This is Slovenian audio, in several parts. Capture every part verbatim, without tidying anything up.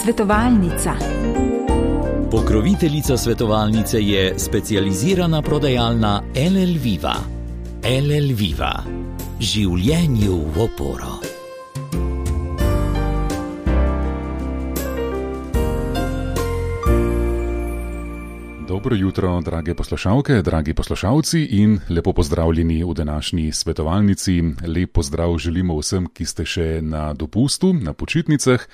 Svetovalnica. Pokroviteljica svetovalnice je specializirana prodajalna L L Viva. L L Viva. Življenju v oporo. Dobro jutro, drage poslušalke, dragi poslušalci in lepo pozdravljeni v današnji svetovalnici. Lep pozdrav želimo vsem, ki ste še na dopustu, na počitnicah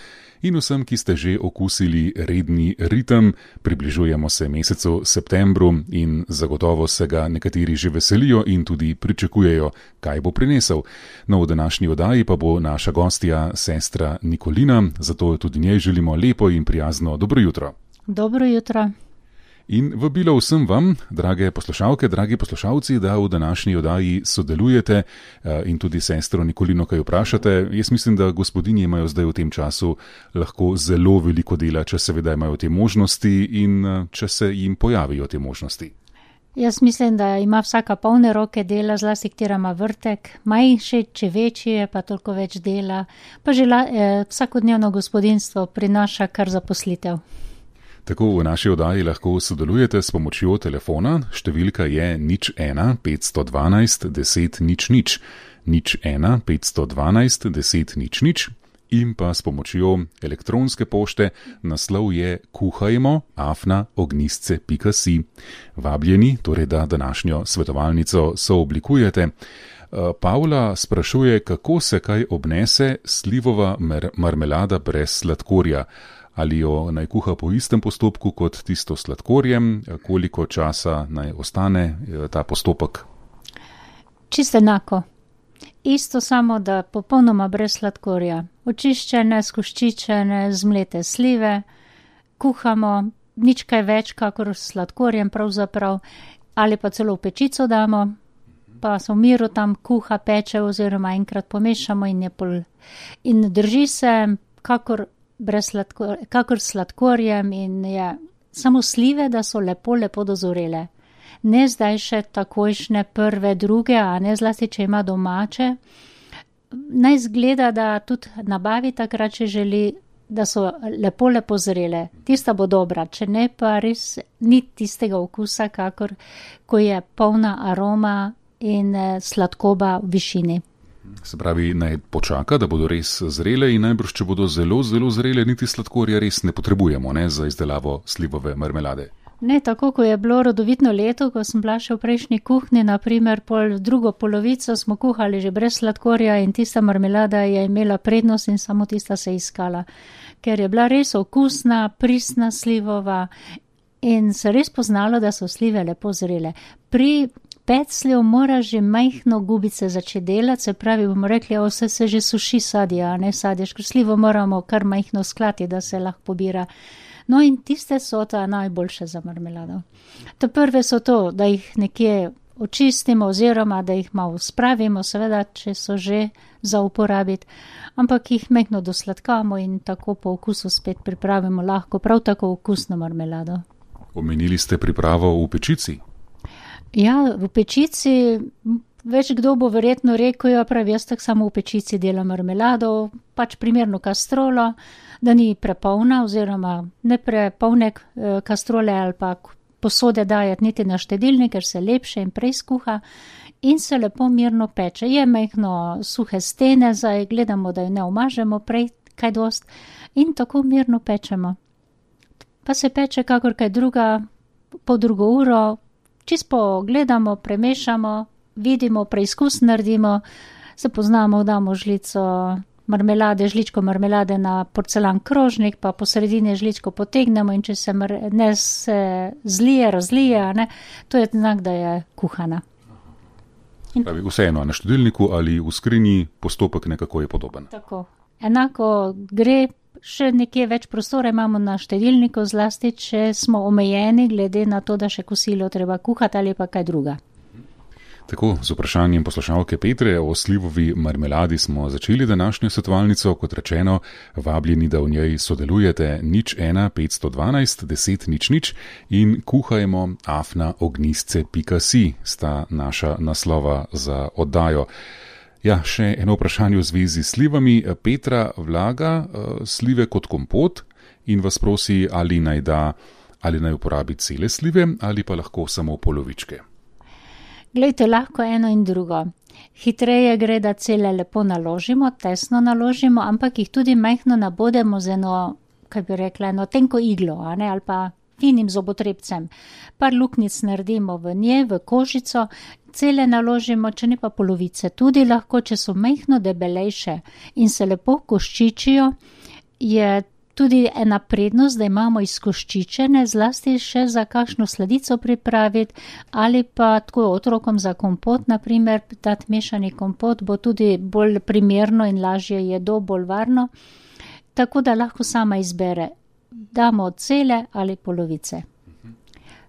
in vsem, ki ste že okusili redni ritem. Približujemo se mesecu septembru in zagotovo se ga nekateri že veselijo in tudi pričakujejo, kaj bo prinesel. No, v današnji oddaji pa bo naša gostja sestra Nikolina, zato tudi njej želimo lepo in prijazno dobro jutro. Dobro jutro. In vabilo vsem vam, drage poslušalke, dragi poslušalci, da v današnji oddaji sodelujete in tudi sestro Nikolino kaj vprašate. Jaz mislim, da gospodinji imajo zdaj v tem času lahko zelo veliko dela, če seveda imajo te možnosti in če se jim pojavijo te možnosti. Jaz mislim, da ima vsaka polne roke dela, zlasti katera ima vrtek, manjši, če večji je, pa toliko več dela, pa že eh, vsakodnevno gospodinjstvo prinaša kar zaposlitev. Tako v naši oddaji lahko sodelujete s pomočjo telefona, številka je nič ena petsto dvanajst deset nič nič, nič ena petsto dvanajst deset nič nič in pa s pomočjo elektronske pošte, naslov je kuhajmo afna ognistce pika si. Vabljeni, torej da današnjo svetovalnico sooblikujete. Pavla sprašuje, kako se kaj obnese slivova mar- marmelada brez sladkorja. Ali jo naj kuha po istem postopku kot tisto s sladkorjem, koliko časa naj ostane ta postopek? Čisto enako. Isto, samo da popolnoma brez sladkorja. Očiščene, skoščičene, zmlete slive, kuhamo nič kaj več, kakor s sladkorjem pravzaprav, ali pa celo v pečico damo, pa se v miru tam kuha, peče oziroma enkrat pomešamo in je pol. In drži se, kakor brez sladkor, kakor sladkorjem in je samo slive, da so lepo, lepo dozorele. Ne zdaj še takojšnje prve, druge, a ne zlasti, če ima domače. Naj zgleda, da tudi nabavi takrat, če želi, da so lepo, lepo zrele. Tista bo dobra, če ne pa res ni tistega okusa, kakor ko je polna aroma in sladkoba v višini. Se pravi, naj počaka, da bodo res zrele in najbrž, če bodo zelo, zelo zrele, niti sladkorja res ne potrebujemo, ne, za izdelavo slivove marmelade. Ne, tako, ko je bilo rodovitno leto, ko sem bila še v prejšnji kuhni, naprimer pol drugo polovico smo kuhali že brez sladkorja in tista marmelada je imela prednost in samo tista se iskala, ker je bila res okusna, pristna slivova in se res poznalo, da so slive lepo zrele. Pri peclju mora že majhno gubice začeti delati, se pravi, bomo rekli, o, se, se že suši sadje, a ne sadje, ker slivo moramo kar majhno sklati, da se lahko pobira. No in tiste so ta najboljše za marmelado. To prve so to, da jih nekje očistimo oziroma da jih malo spravimo, seveda, če so že za uporabiti, ampak jih majhno dosladkamo in tako po okusu spet pripravimo lahko prav tako okusno marmelado. Omenili ste pripravo v pečici? Ja, v pečici, več kdo bo verjetno rekel, ja, pravi, jaz tak samo v pečici delam marmelado, pač primerno kastrolo, da ni prepolna oziroma ne prepolne kastrole ali pa posode dajati niti na štedilnik, ker se lepše in prej skuha in se lepo mirno peče. Je majhno suhe stene, zdaj gledamo, da jo ne omažemo prej kaj dost in tako mirno pečemo. Pa se peče kakor kaj druga, po drugo uro, čisto gledamo, premešamo, vidimo, preizkus naredimo, se poznamo, damo žlico marmelade, žličko marmelade na porcelan krožnik, pa po sredini žličko potegnemo in če se mar- ne se zlije, razlije, ne, to je znak, da je kuhana. Pravi, vseeno, na štedilniku ali v skrinji postopek nekako je podoben. Tako. Enako gre, še nekje več prostora imamo na štedilniku, zlasti, če smo omejeni glede na to, da še kosilo treba kuhati ali pa kaj druga. Tako, z vprašanjem poslušalke Petre o slivovi marmeladi smo začeli današnjo svetovalnico, kot rečeno, vabljeni, da v njej sodelujete nič ena petsto dvanajst deset nič nič in kuhajmo afna ognistce pika si, sta naša naslova za oddajo. Ja, še eno vprašanje v zvezi s slivami. Petra vlaga uh, slive kot kompot, in vas prosi, ali naj da, ali naj uporabi cele slive ali pa lahko samo polovičke. Glejte, lahko eno in drugo. Hitreje gre, da cele lepo naložimo, tesno naložimo, ampak jih tudi majhno nabodemo z eno, kaj bi rekla, eno tenko iglo, a ne, ali pa finim zobotrebcem. Par luknic naredimo v nje, v kožico, cele naložimo, če ne pa polovice. Tudi lahko, če so majhno debelejše in se lepo koščičijo, je tudi ena prednost, da imamo izkoščičene, zlasti še za kakšno sladico pripraviti ali pa tako otrokom za kompot, naprimer, dati mešani kompot bo tudi bolj primerno in lažje jedo, bolj varno. Tako da lahko sama izbere, damo cele ali polovice.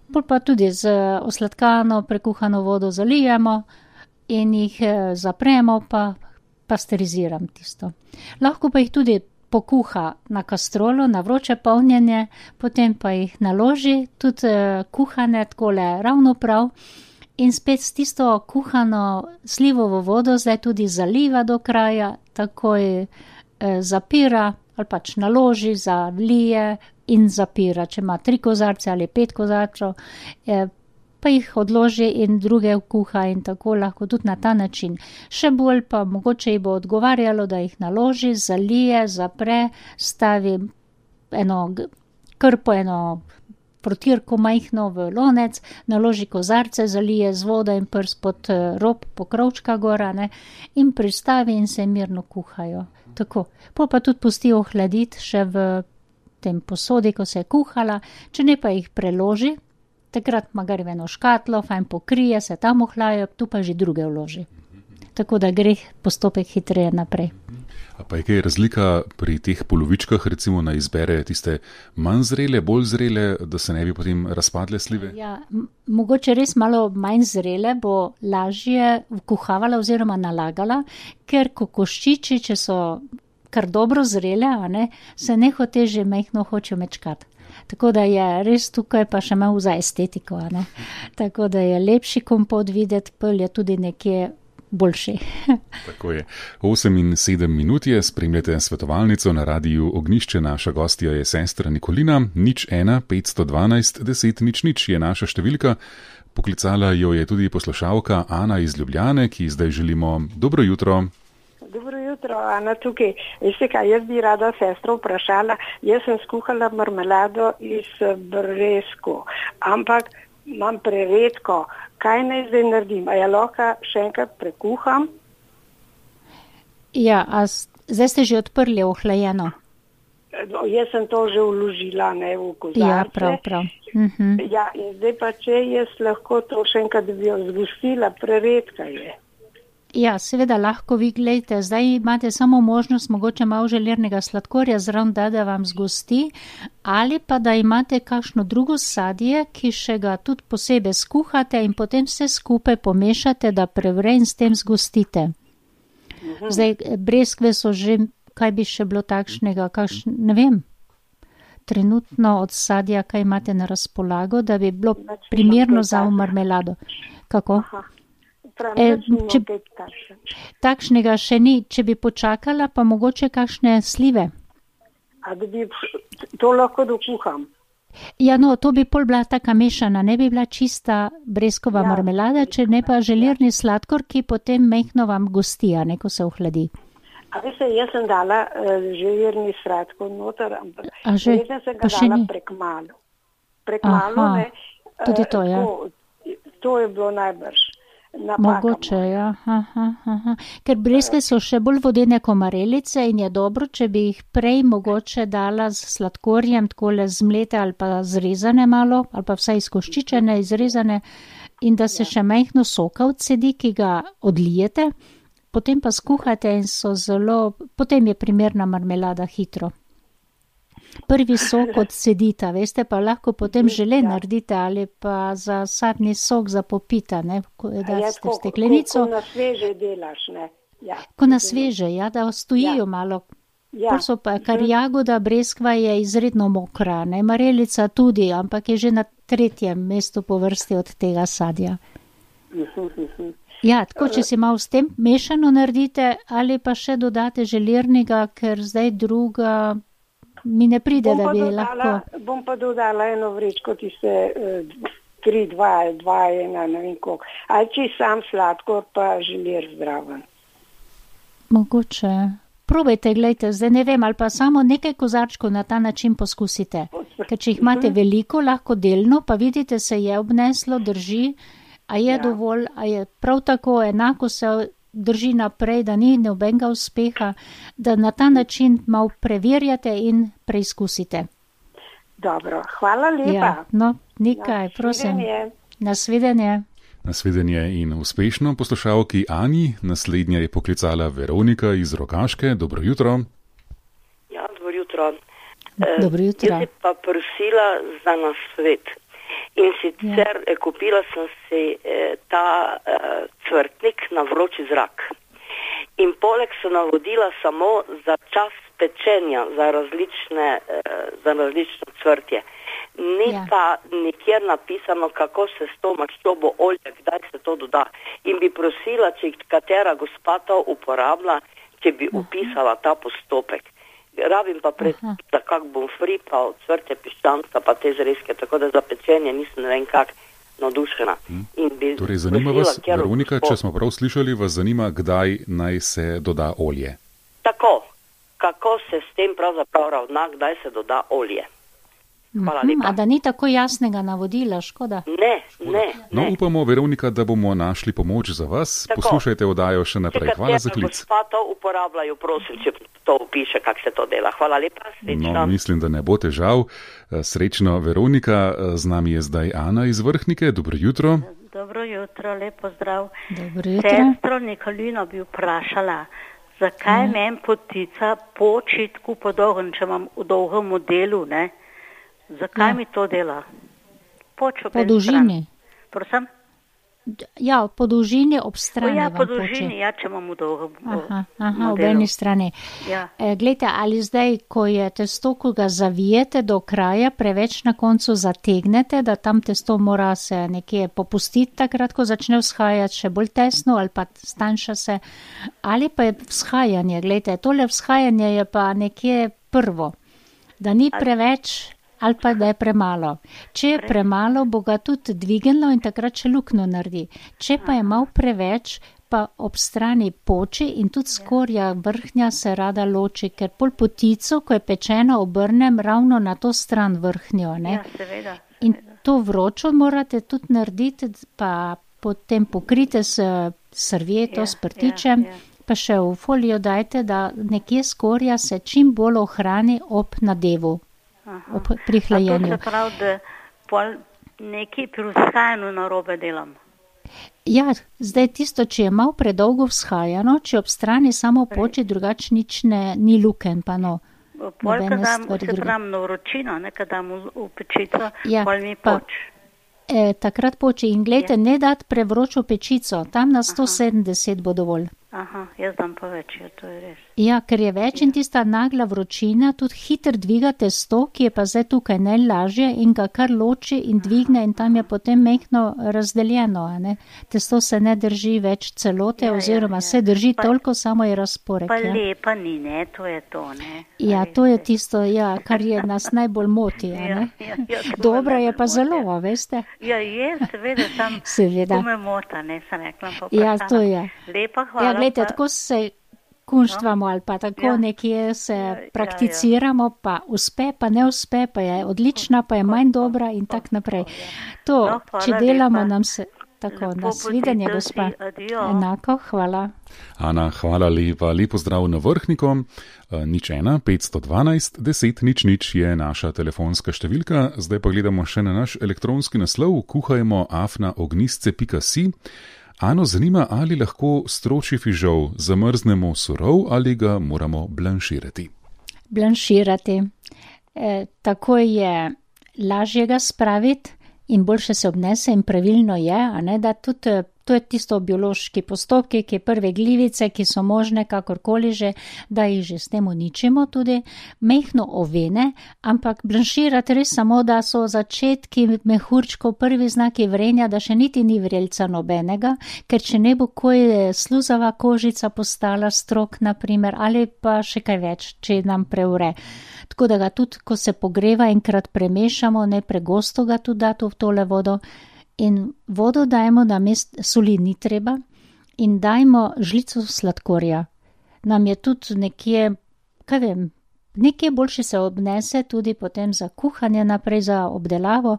Bolj pa tudi z osladkano, prekuhano vodo zalijemo in jih zapremo, pa pasteriziram tisto. Lahko pa jih tudi pokuha na kastrolo, na vroče polnjenje, potem pa jih naloži, tudi kuhane takole ravno prav in spet s tisto kuhano slivovo vodo zdaj tudi zaliva do kraja, takoj eh, zapira ali pač naloži, zalije in zapira. Če ima tri kozarce ali pet kozarcev, eh, pa jih odloži in druge kuha in tako lahko tudi na ta način. Še bolj pa mogoče ji bo odgovarjalo, da jih naloži, zalije, zapre, stavi eno krpo, eno protirko majhno v lonec, naloži kozarce, zalije z vodo in prs pod rob pokrovčka gora, ne, in pristavi in se mirno kuhajo. Tako. Pol pa tudi pusti ohladiti še v tem posodi, ko se je kuhala, če ne pa jih preloži, takrat magari v eno škatlo, fajn pokrije, se tam ohlajajo, tu pa že druge vloži. Tako da gre postopek hitreje naprej. A pa je kaj razlika pri teh polovičkah, recimo na izbere tiste manj zrele, bolj zrele, da se ne bi potem razpadle slive? Ja, m- mogoče res malo manj zrele bo lažje kuhavala oziroma nalagala, ker kokoščiči, če so kar dobro zrele, a ne, se nehote že majhno hočejo mečkati. Tako da je res tukaj pa še malo za estetiko, a ne. Tako da je lepši kompot videti, pol je tudi nekje boljši. Tako je. osem in sedem minut je, spremljate svetovalnico na Radiu Ognjišče, naša gostja je sestra Nikolina, nič ena, petsto dvanajst, deset, nič nič je naša številka. Poklicala jo je tudi poslušalka Ana iz Ljubljane, ki zdaj želimo dobro jutro. Dobro jutro, Ana tukaj. Veste kaj, jaz bi rada sestro vprašala, jaz sem skuhala marmelado iz breskov, ampak imam preredko. Kaj naj zdaj naredim? A ja lahko še enkrat prekuham? Ja, a zdaj ste že odprli ohlajeno? Jaz sem to že vložila, ne, v kozarce. Ja, prav, prav. Mhm. Ja, in zdaj pa če jaz lahko to še enkrat bi jo zgostila, preredka je. Ja, seveda lahko vi gledajte, zdaj imate samo možnost mogoče malo želernega sladkorja zraven, da, da vam zgosti, ali pa da imate kakšno drugo sadje, ki še ga tudi posebej skuhate in potem vse skupaj pomešate, da prevre in s tem zgostite. Mhm. Zdaj, breskve so že, kaj bi še bilo takšnega, kakšn, ne vem, trenutno od sadja, kaj imate na razpolago, da bi bilo primerno za marmelado. Kako? Aha. Prav, E, če, takšen. takšnega še ni, če bi počakala, pa mogoče kakšne slive. A da bi to lahko dokuham? Ja, no, to bi pol bila taka mešana, ne bi bila čista breskova Ja. marmelada, če ne pa želirni sladkor, ki potem mehno vam gosti, a ne, ko se ohladi. A veste, jaz sem dala uh, želirni sladkor noter, ampak A že? jaz sem Pa ga še dala ni? prek malo. Prek malo, Aha, ne. tudi eh, to, ja. To, to je bilo najbrž. Napaka Mogoče, moja. ja. Aha, aha. Ker breske so še bolj vodene komarelice in je dobro, če bi jih prej mogoče dala z sladkorjem, takole zmlete ali pa zrezane malo, ali pa vsaj izkoščičene, izrezane, in da se še majhno soka odsedi, ki ga odlijete, potem pa skuhate in so zelo, potem je primerna marmelada hitro. Prvi sok odsedita, veste, pa lahko potem žele Ja. naredite ali pa za sadni sok za popita, ne, ko Ja, daste v tako, steklenico. Ko, ko na sveže delaš, ne. Ja. Ko na sveže, ja, da stojijo Ja. malo. Ja. Pol so pa, kar jagoda breskva je izredno mokra, ne, marelica tudi, ampak je že na tretjem mestu po vrsti od tega sadja. Ja, tako, če si malo s tem mešano naredite ali pa še dodate želirnega, ker zdaj druga mi ne pride, Bom da pa bi dodala, lahko. bom pa dodala eno vrečko, tiste eh, tri, dva, dva, ena, ne vem koliko. Ali če sam sladkor, pa želir zdraven. Mogoče. Probajte, gledajte, zdaj ne vem, ali pa samo nekaj kozarčkov na ta način poskusite. Ker če jih imate veliko, lahko delno, pa vidite, se je obneslo, drži, a je Ja. dovolj, a je prav tako enako se drži naprej, da ni nobenega uspeha, da na ta način malo preverjate in preizkusite. Dobro, hvala lepa. Ja, no, nekaj, prosim. Nasvidenje. Nasvidenje. Nasvidenje in uspešno poslušalki Ani. Naslednja je poklicala Veronika iz Rogaške. Dobro jutro. Ja, dobro jutro. Dobro jutro. Jaz bi pa prosila za nasvet. In sicer ja. kupila sem si eh, ta eh, cvrtnik na vroči zrak. In poleg so navodila samo za čas pečenja, za različne, eh, za različno cvrtje. Ni Ja. pa nikjer napisano, kako se s to maščobo olja, kdaj se to doda. In bi prosila, če katera gospa to uporablja, če bi upisala ta postopek. Rabim pa pred, Aha. da kak bom fri, pa cvrtje piščanca, pa te zrezke, tako da za pečenje nisem ne vem kak navdušena. In bi Torej, zanima prosila, vas, katero Veronika, gospo- če smo prav slišali, vas zanima, kdaj naj se doda olje. Tako, kako se s tem pravzaprav ravna, kdaj se doda olje. Hvala Mhm, lepa. a da ni tako jasnega navodila, škoda. Ne, ne, No, ne. upamo, Veronika, da bomo našli pomoč za vas. Tako. Poslušajte oddajo še Če naprej. Hvala za katera klic. gospa to uporabljajo, prosim, če to upiše, kako se to dela. Hvala lepa, srečno. No, mislim, da ne bo težav. Srečno, Veronika. Z nami je zdaj Ana iz Vrhnike. Dobro jutro. Dobro jutro, lepo zdrav. Dobro jutro. Sestro Nikolino bi vprašala, zakaj Ja. meni potica poči tako po dolgem, če imam v dolgem modelu, ne? Zakaj Ja. mi to dela? Poč Po dolžini. Prosim? D- Ja, po dolžini ob O, strani ja, vam po poče. dolžini, ja, če imam v dolgem Aha, aha, ob modelu. eni strani. Ja. E, glejte, ali zdaj, ko je testo, ko ga zavijete do kraja, preveč na koncu zategnete, da tam testo mora se nekje popustiti takrat, ko začne vzhajati še bolj tesno ali pa stanjša se, ali pa je vzhajanje, glejte, tole vzhajanje je pa nekje prvo, da ni preveč ali pa da je premalo. Če je premalo, bo ga tudi dvignilo in takrat še luknjo naredi. Če pa je malo preveč, pa ob strani poči in tudi skorja vrhnja se rada loči, ker pol potico, ko je pečeno, obrnem ravno na to stran vrhnjo. Ne? Ja, seveda. In to vročo morate tudi narediti, pa potem pokrite s servieto, Ja, s prtičem, ja, ja. pa še v folijo dajte, da nekje skorja se čim bolj ohrani ob nadevu, Aha. ob pri A to hlajenju. se pravi, da pol nekaj pri vzhajanju narobe delam. Ja, zdaj tisto, če je malo predolgo vzhajano, če ob strani samo poči, drugače nič ne, ni luken, pa no. Pol, Nobene kad dam, stvari se druge. pravim, na vročino, ne, kad dam v, v pečico, Ja, pol mi pa- poč. E, takrat poči in gledajte, ne dati prevročo pečico, tam na sto sedemdeset bo dovolj. Aha, jaz dam pa več, ja, to je res. Ja, ker je več in tista nagla vročina tudi hitro dviga testo, ki je pa zdaj tukaj najlažje in ga kar loči in dvigne in tam je potem mehko razdeljeno. A ne? Testo se ne drži več celote Ja, ja, oziroma ja. se drži Pa- toliko, samo je razporek. Pa Ja, lepa ni, ne, to je to, ne. ja A to je veste. tisto, ja, kar je nas najbolj moti. A Ja, ne? ja, ja, to me Dobra je najbolj pa moti, zelo, ja. a veste. Ja, je, seveda, sam Seveda. to me mota, ne, sem rekla. Pa Ja, vprašala. to je. Lepa hvala. Ja, gledajte, pa- tako se kunštvamo ali pa tako Ja. nekje se Ja, ja, prakticiramo, pa uspe, pa ne uspe, pa je odlična, pa je manj dobra in tako naprej. To, No, hvala če delamo, lepa. nam se tako Lepo nasvidenje, potite gospa. si, adijo. Enako, hvala. Ana, hvala lepa. Lepo zdrav na Vrhniko. E, Nič ena, petsto dvanajst, deset, nič, nič je naša telefonska številka. Zdaj pa gledamo še na naš elektronski naslov. Kuhajmo afna ognistce pika si. Ano zanima, ali lahko stročji fižol zamrznemo surov ali ga moramo blanširati. Blanširati. E, tako je lažje ga spraviti in boljše se obnese in pravilno je, a ne, da tudi eh, to je tisto biološki postopki, ki prve glivice, ki so možne, kakorkoli že, da jih že s tem uničimo tudi, mehno ovene, ampak blanširati res samo, da so začetki mehurčkov, prvi znaki vrenja, da še niti ni vrelca nobenega, ker če ne bo koj sluzava kožica postala strok, naprimer, ali pa še kaj več, če nam preure. tako da ga tudi, ko se pogreva, enkrat premešamo, ne pregosto ga tudi dati v tole vodo. In vodo dajmo, da mest soli ni treba, in dajmo žlico sladkorja. Nam je tudi nekje, kaj vem, nekje boljše se obnese tudi potem za kuhanje naprej, za obdelavo,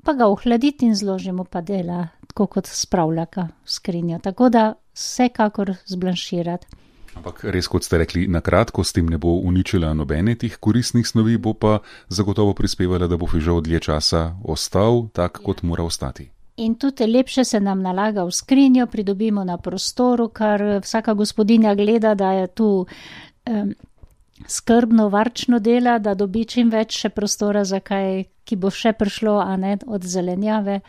pa ga ohladiti in zložimo pa dela, tako kot spravljaka v skrinjo. Tako da vsekakor zblanširati. Ampak res, kot ste rekli, na kratko s tem ne bo uničila nobene tih koristnih snovi, bo pa zagotovo prispevala, da bo fižol dlje časa ostal tak, kot mora ostati. In tudi lepše se nam nalaga v skrinjo, pridobimo na prostoru, kar vsaka gospodinja gleda, da je tu um, skrbno, varčno dela, da dobi čim več še prostora za kaj, ki bo še prišlo, a ne od zelenjave.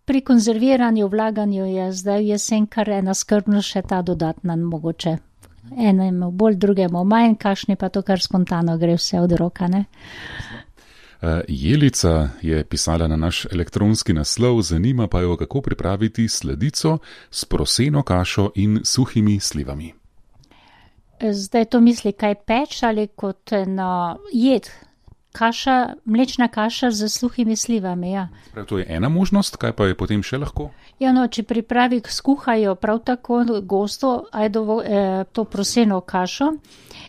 Pri konzerviranju, vlaganju je zdaj jesen kar ena skrbnost še ta dodatna mogoče. Enemu bolj, drugemu manj, kakšni pa to kar spontano gre vse od roka, ne? Jelica je pisala na naš elektronski naslov, zanima pa jo, kako pripraviti sladico s proseno kašo in suhimi slivami. Zdaj to misli kaj peč ali kot eno jed? Kaša, mlečna kaša z suhimi slivami, ja. Prav, to je ena možnost, kaj pa je potem še lahko? Ja, no, če pripravi skuhajo prav tako gosto ajdovo, eh, to proseno kašo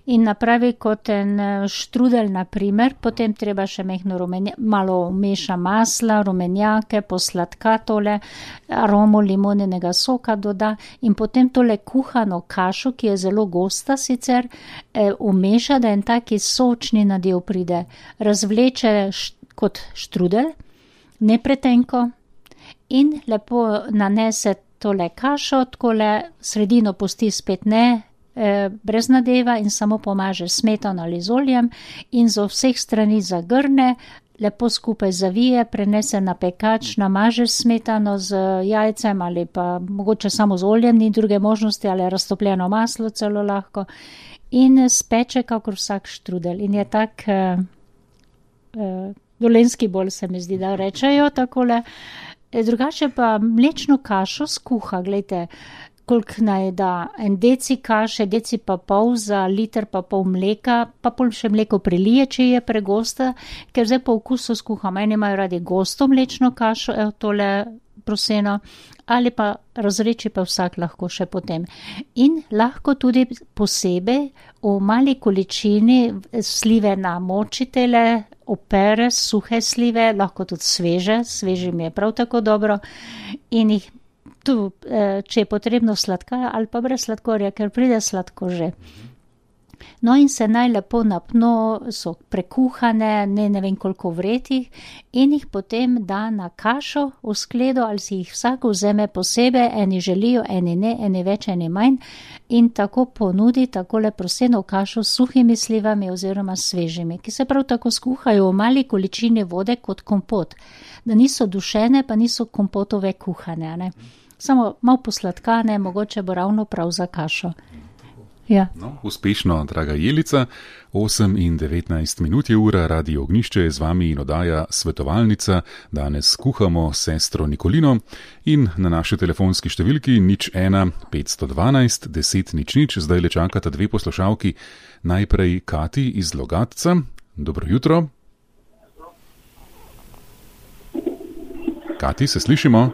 in napravi kot en štrudel, na primer, potem treba še mehno rumenja, malo meša masla, rumenjake, posladka tole, aromo limonenega soka doda in potem tole kuhano kašo, ki je zelo gosta sicer, eh, umeša, da en taki sočni nadev pride. Razvleče št, kot štrudel, ne pretenko, in lepo nanese tole kašo, takole sredino pusti spet ne, eh, brez nadeva in samo pomaže smetano ali z oljem in z vseh strani zagrne, lepo skupaj zavije, prenese na pekač, namaže smetano z jajcem ali pa mogoče samo z oljem, ni druge možnosti, ali raztopljeno maslo celo lahko in speče kakor vsak štrudel in je tak eh, Uh, dolenski bolj se mi zdi, da rečejo takole. E, drugače pa mlečno kašo skuha, gledajte, koliko naj da, en deci kaše, deci pa pol za liter pa pol mleka, pa pol še mleko prelije, če je pregosta, ker zdaj po okusu skuham, eni imajo radi gosto mlečno kašo, evo tole proseno, ali pa razreči pa vsak lahko še potem. In lahko tudi posebej v mali količini slive namočitele, opere, suhe slive, lahko tudi sveže, sveže mi je prav tako dobro in jih tu, če je potrebno sladka ali pa brez sladkorja, ker pride sladko že. No in se naj lepo napno, so prekuhane, ne, ne vem koliko vretih in jih potem da na kašo v skledo ali si jih vsak vzeme posebej, eni želijo, eni ne, eni več, eni manj in tako ponudi takole proseno kašo s suhimi slivami oziroma svežimi, ki se prav tako skuhajo v mali količini vode kot kompot, da niso dušene, pa niso kompotove kuhane, ne. Samo malo posladkane, mogoče bo ravno prav za kašo. Ja. No, uspešno, draga Jelica, osem in devetnajst minut je ura, Radio Ognjišče je z vami in oddaja Svetovalnica. Danes kuhamo sestro Nikolino in na naši telefonski številki nič ena petsto dvanajst deset nič nič zdaj le čakata dve poslušalki. Najprej Kati iz Logatca. Dobro jutro. Kati, se slišimo?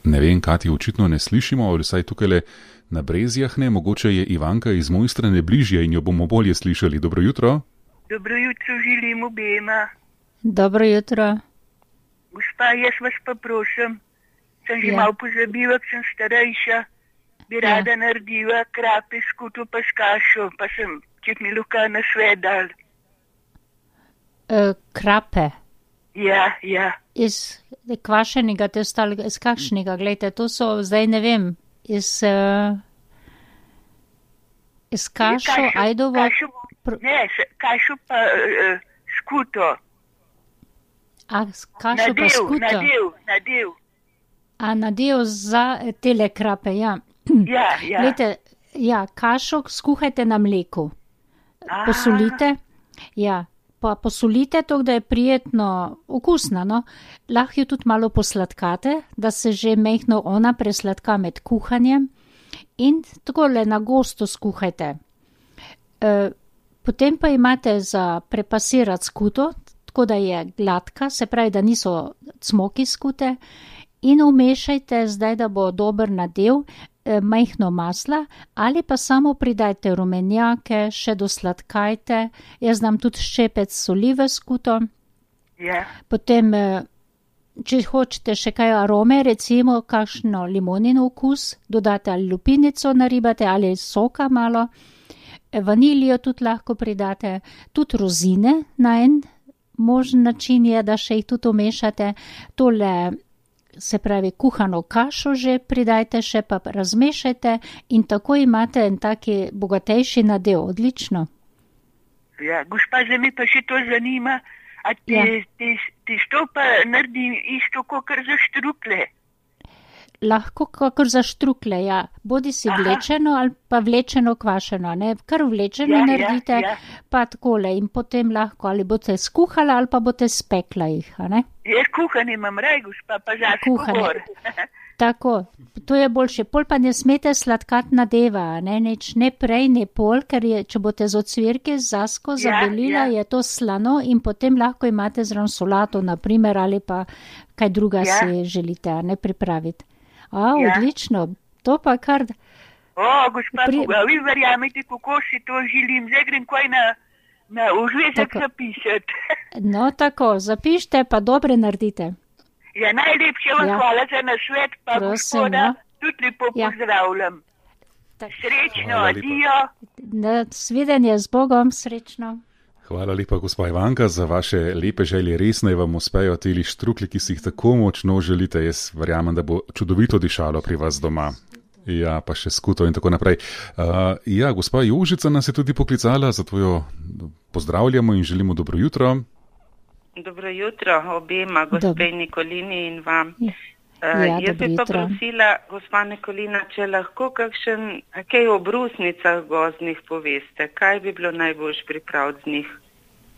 Ne vem, Kati, očitno ne slišimo, ali vsaj tukaj na Brezjah ne, mogoče je Ivanka iz Mojstrane bližje in jo bomo bolje slišali. Dobro jutro. Dobro jutro želim obema. Dobro jutro. Gospa, jaz vas pa prosim, sem že Ja. malo pozabila, sem starejša, bi Ja. rada naredila krape s kuto pa s kašo, pa sem, če mi luka na svet dal. E, krape. Ja, ja. Iz kvašenega te ostalega, iz kakšnega, gledajte, to so, zdaj ne vem, iz, uh, iz kašo, Kašo- ajdovo, kašo, pr- ne, s- kašo pa uh, s kuto. a s kašo pa Nadev, skuto, nadev, nadev. a nadev za tele krape, ja. Ja, ja. Glejte, ja, kašo skuhajte na mleku, posolite, ja, pa posolite to, da je prijetno okusna, no. Lahko jo tudi malo posladkate, da se že mehno ona presladka med kuhanjem In takole na gosto skuhajte. E, potem pa imate za prepasirati skuto, tako da je gladka, se pravi, da niso cmoki skute, in umešajte zdaj, da bo dober nadev, e, majhno masla, ali pa samo pridajte rumenjake, še dosladkajte, jaz dam tudi ščepec soli v skuto, Ja. potem, e, če hočete še kaj arome, recimo kakšno limonino okus, dodate ali lupinico naribate ali soka malo, vanilijo tudi lahko pridate, tudi rozine na en možen način je, da še jih tudi umešate, tole, se pravi, kuhano kašo že pridajte, še pa razmešajte in tako imate en taki bogatejši nadev, odlično. Ja, gospa, zdaj me pa še to zanima, a ti, Ja. ti, ti što pa naredi isto, kakor za štrukle? Lahko kakor za štrukle, ja. Bodi si Aha. vlečeno ali pa vlečeno kvašeno, ne. Kar vlečeno Ja, ja, naredite, ja. pa takole in potem lahko ali boste skuhala ali pa boste spekla jih, a ne. Jaz kuhanje imam raj, gospa, pa zase Kuhanje. govor. Tako, to je boljše. Pol pa ne smete sladkat nadeva, ne, nič, ne prej, ne pol, ker je, če boste z ocvirke z zasko Ja, zabelila, ja. je to slano in potem lahko imate zraven solato, naprimer, ali pa kaj druga Ja. si želite, a ne pripraviti. A, Ja. odlično, to pa kar, O, gospa, Pri- Pri... vi verjamete, kako si to želim. Zdaj grem kaj na, na užvezek Tako. zapisati. no tako, zapište pa dobre naredite. Ja, najlepše vam Ja. hvala za nasvet, pa Prosim, gospoda ja. tudi lepo Ja. pozdravljam. Tak. Srečno, Hvala lepa. adijo. Na svidenje z Bogom, srečno. Hvala lepa, gospa Ivanka, za vaše lepe želje. Res naj vam uspejo teli štrukli, ki si jih tako močno želite. Jaz verjamem, da bo čudovito dišalo pri vas doma. Ja, pa še skuto in tako naprej. Uh, ja, gospa Jožica nas je tudi poklicala, zato jo pozdravljamo in želimo dobro jutro. Dobro jutro obema, gospe Nikolini in vam. Ja. Uh, Ja, jaz dobro bi pa jutro. prosila, gospa Nikolina, če lahko kakšen, kaj o brusnicah gozdnih poveste, kaj bi bilo najboljš pripraviti z njih,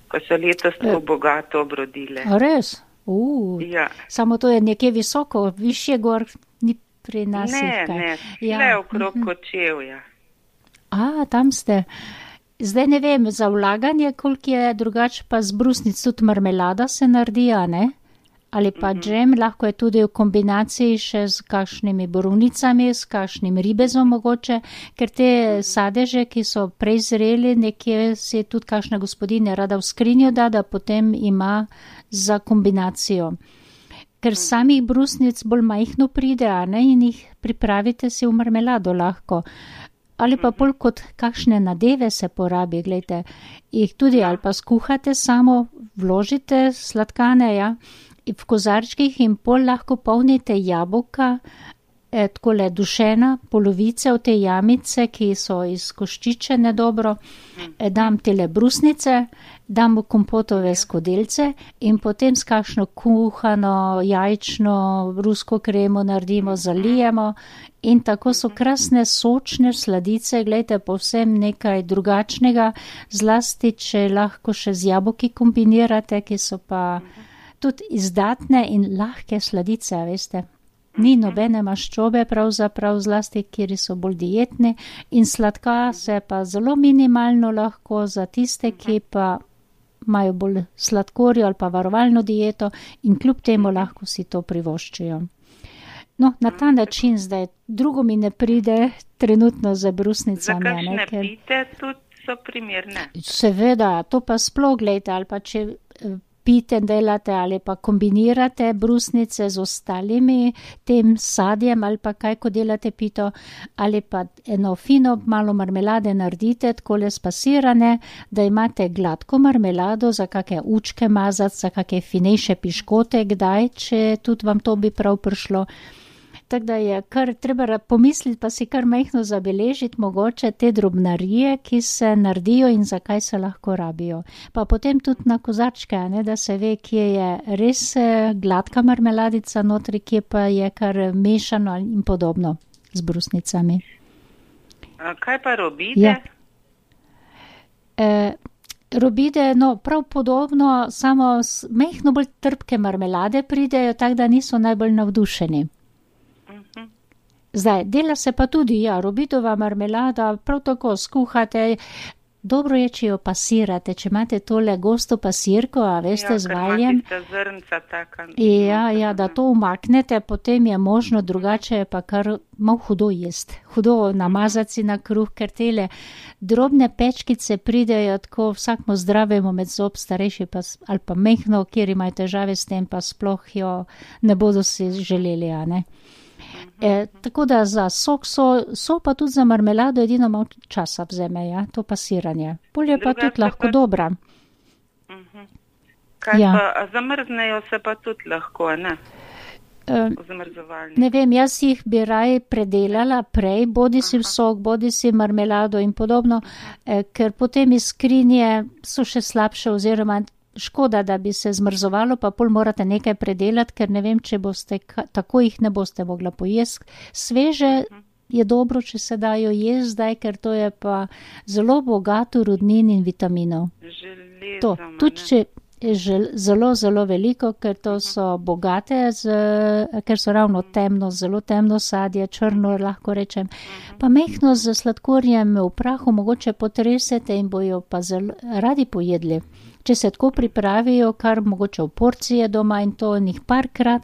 ko so letos tako bogato obrodile. A res? Uh, Ja. Samo to je nekje visoko, višje gor, ni pri nas. Ne, jih kaj. ne, Ja, le okrog mhm. Kočevja. A, tam ste. Zdaj ne vem, za vlaganje, koliko je drugače, pa z brusnic tudi marmelada se naredi, a ne? Ali pa džem, lahko je tudi v kombinaciji še z kakšnimi borovnicami, s kakšnim ribezom mogoče, ker te sadeže, ki so prej zreli, nekje si tudi kakšna gospodinja rada v skrinjo da, da potem ima za kombinacijo. Ker samih brusnic bolj majhno pride, a ne, in jih pripravite si v marmelado lahko. Ali pa bolj kot kakšne nadeve se porabi, gledajte, jih tudi ali pa skuhate samo, vložite sladkane, ja, v kozarčkih in pol lahko polnite jabolka, eh, takole dušena, polovice v te jamice, ki so izkoščičene dobro, eh, dam tele brusnice, dam v kompotove skodelce in potem s kakšno kuhano, jajčno, rusko kremo naredimo, zalijemo in tako so krasne sočne sladice, gledajte, povsem nekaj drugačnega, zlasti, če lahko še z jabolki kombinirate, ki so pa tudi izdatne in lahke sladice, veste. Ni nobene maščobe pravzaprav zlasti, kjer so bolj dietne in sladka se pa zelo minimalno lahko za tiste, ki pa imajo bolj sladkorjo ali pa varovalno dieto in kljub temu lahko si to privoščijo. No, na ta način zdaj drugo mi ne pride trenutno za Za brusnicami. a ne, kakšne ker- pite tudi so primerne. Seveda, to pa sploh gledajte, ali pa če eh, pite delate ali pa kombinirate brusnice z ostalimi tem sadjem ali pa kaj, ko delate pito, ali pa eno fino malo marmelade naredite, takole spasirane, da imate gladko marmelado za kakšne učke mazati, za kakšne finejše piškote, kdaj, če tudi vam to bi prav prišlo. Tako da je kar treba pomisliti, pa si kar majhno zabeležiti mogoče te drobnarije, ki se naredijo in zakaj se lahko rabijo. Pa potem tudi na kozarčke, a ne, da se ve, kje je res eh, gladka marmeladica notri, kje pa je kar mešano in podobno z brusnicami. A kaj pa robide? Ja. E, robide, no, prav podobno, samo s majhno bolj trpke marmelade pridejo, tako da niso najbolj navdušeni. Zdaj, dela se pa tudi, ja, robidova marmelada, prav tako skuhate. Dobro je, če jo pasirate, če imate tole gosto pasirko, a veste, Ja, z ker ima valjem. tista zrnca taka. Ja, ja, da to umaknete, potem je možno, drugače je pa kar malo hudo jest. Hudo namazati si na kruh, ker tele drobne pečkice pridejo tako vsakmu zdravemu med zob, starejši pa, s- ali pa mehno, kjer imajo težave s tem, pa sploh jo ne bodo si želeli, a ne. E, tako da za sok so, so pa tudi za marmelado edino malo časa vzeme, ja, to pasiranje. Pol je pa Drugače tudi lahko pa- dobra. Kaj Ja. pa, a zamrznejo se pa tudi lahko, a ne? E, V zamrzovalniku. Ne vem, jaz jih bi raj predelala prej, bodi si v sok, bodi si marmelado in podobno, eh, ker potem iz skrinje so še slabše oziroma škoda, da bi se zmrzovalo, pa pol morate nekaj predelati, ker ne vem, če boste, ka- tako jih ne boste mogla pojesti. Sveže je dobro, če se dajo jesti zdaj, ker to je pa zelo bogato rudnin in vitaminov. To, Železom, a tudi ne? če je žel, zelo, zelo veliko, ker to so bogate, z, ker so ravno temno, zelo temno sadje, črno lahko rečem, pa mehno z sladkorjem v prahu mogoče potresete in bojo pa zelo radi pojedli. Če se tako pripravijo, kar mogoče v porcije doma in to njih parkrat,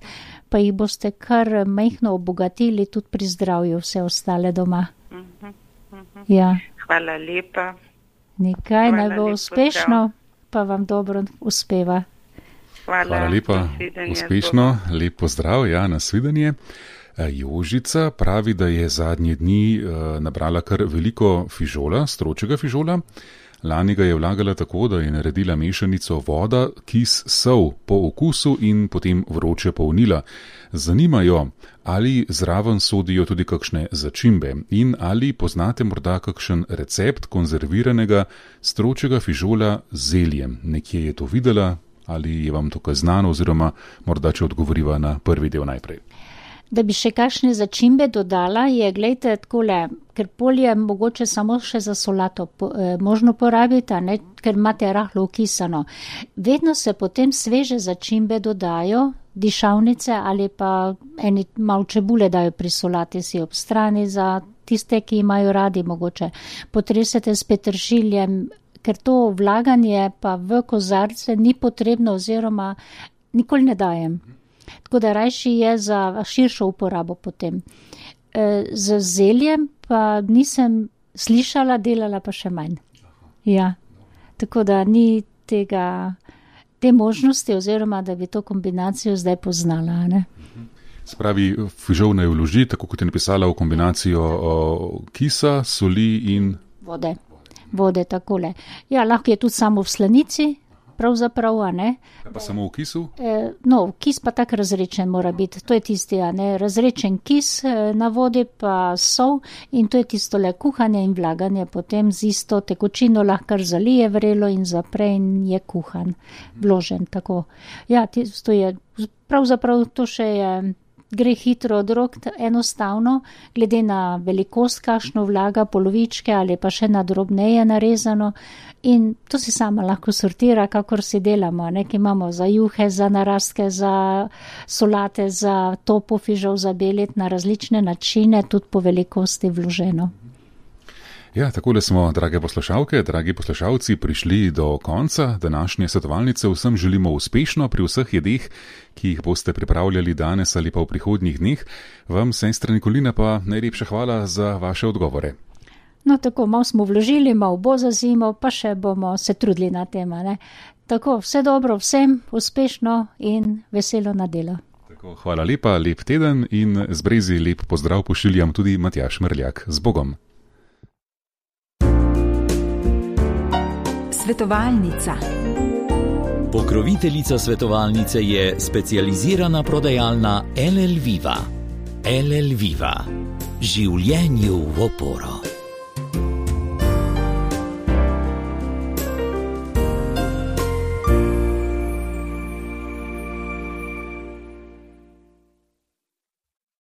pa jih boste kar mehno obogatili tudi pri zdravju vse ostale doma. Ja, Hvala lepa. nekaj naj Hvala, bo lep uspešno, pa vam dobro uspeva. Hvala, Hvala lepa, nasvidenje, uspešno, lep pozdrav, ja, nasvidenje. E, Jožica pravi, da je zadnje dni e, nabrala kar veliko fižola, stročega fižola. Lani ga je vlagala tako, da je naredila mešanico voda, kis, sol po okusu in potem vroče polnila. Zanimajo, ali zraven sodijo tudi kakšne začimbe in ali poznate morda kakšen recept konzerviranega stročega fižola z zeljem. Nekje je to videla ali je vam to kaj znano oziroma morda če odgovoriva na prvi del najprej. Da bi še kakšne začimbe dodala, je, glejte, takole, ker polje mogoče samo še za solato po, eh, možno porabiti, a ne, ker imate rahlo okisano. Vedno se potem sveže začimbe dodajo, dišavnice ali pa eni malo čebule dajo pri solati si ob strani za tiste, ki imajo radi mogoče. Potresete s peteršiljem, ker to vlaganje pa v kozarce ni potrebno oziroma nikoli ne dajem. Tako da rajši je za širšo uporabo potem. E, z zeljem pa nisem slišala, delala pa še manj. Ja, tako da ni tega, te možnosti oziroma, da bi to kombinacijo zdaj poznala, ne? Spravi, fižol naj vloži, tako kot je napisala, v kombinacijo o, kisa, soli in Vode, vode takole. Ja, lahko je tudi samo v slanici, pravzaprav, a ne? pa samo v kisu. E, no, kis pa tak razrečen mora biti, to je tisti, a ne, razrečen kis e, na vodi pa sol in to je tisto le kuhanje in vlaganje, potem z isto tekočino lahko zalije vrelo in zapre in je kuhan, vložen tako. Ja, tisto je, pravzaprav to še je, gre hitro od rok, enostavno, glede na velikost, kakšno vlaga, polovičke ali pa še na drobneje narezano in to si sama lahko sortira, kakor si delamo, nekaj imamo za juhe, za narastke, za solate, za topo fižol, za belet na različne načine, tudi po velikosti vloženo. Ja, takole smo, drage poslušalke, dragi poslušalci, prišli do konca današnje svetovalnice. Vsem želimo uspešno pri vseh jedeh, ki jih boste pripravljali danes ali pa v prihodnjih dneh. Vam, sestra Nikolina, pa najlepša hvala za vaše odgovore. No, tako, malo smo vložili, malo bo za zimo, pa še bomo se trudili na tem, ne. Tako, vse dobro vsem, uspešno in veselo na delo. Tako, hvala lepa, lep teden in z Brezi lep pozdrav pošiljam tudi Matjaž Mrljak. Z Bogom. Svetovalnica. Pokroviteljica svetovalnice je specializirana prodajalna L L Viva. L L Viva. Življenju v oporo.